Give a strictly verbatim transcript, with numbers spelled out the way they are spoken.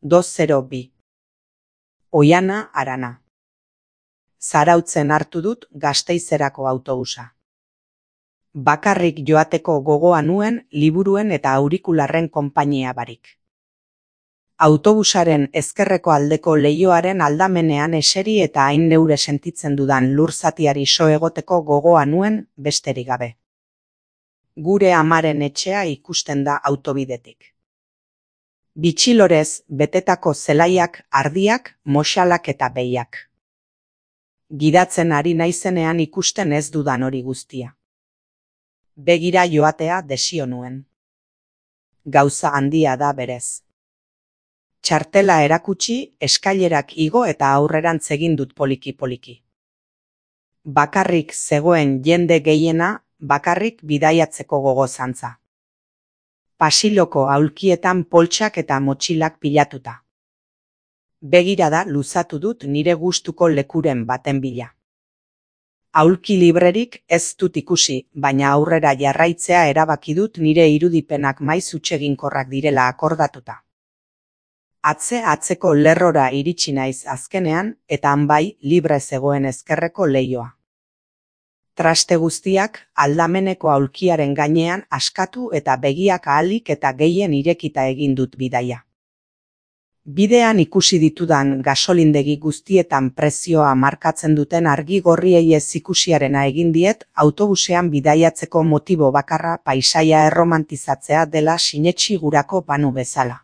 dos zero bi. Oiana Arana. Zarautzen hartu dut Gasteizerako autobusa. Bakarrik joateko gogoa nuen liburuen eta aurikularren konpainia barik. Autobusaren ezkerreko aldeko leihoaren aldamenean eseri eta hain neure sentitzen dudan lur zatiari so egoteko gogoa nuen besterik gabe. Gure amaren etxea ikusten da autobidetik. Bitxilorez betetako zelaiak, ardiak, moxalak eta behiak. Gidatzen ari naizenean ikusten ez dudan hori guztia. Begira joatea desio nuen. Gauza handia da berez. Txartela erakutsi, eskailerak igo eta aurrerantz egin dut poliki-poliki. Bakarrik zegoen jende gehiena, bakarrik bidaiatzeko gogo zantza. Pasiloko aulkietan poltsak eta motxilak pilatuta. Begirada luzatu dut nire gustuko lekuren baten bila. Aulki librerik ez dut ikusi, baina aurrera jarraitzea erabaki dut nire irudipenak maiz hutseginkorrak direla akordatuta. Atze atzeko lerrora iritsi naiz azkenean eta han bai libre zegoen ezkerreko leihoa. Traste guztiak aldameneko aulkiaren gainean askatu eta begiak ahalik eta gehien irekita egin dut bidaia. Bidean ikusi ditudan gasolindegi guztietan prezioa markatzen duten argi gorriei ez ikusiarena egin diet autobusean bidaiatzeko motibo bakarra paisaia erromantizatzea dela sinetsi gurako banu bezala.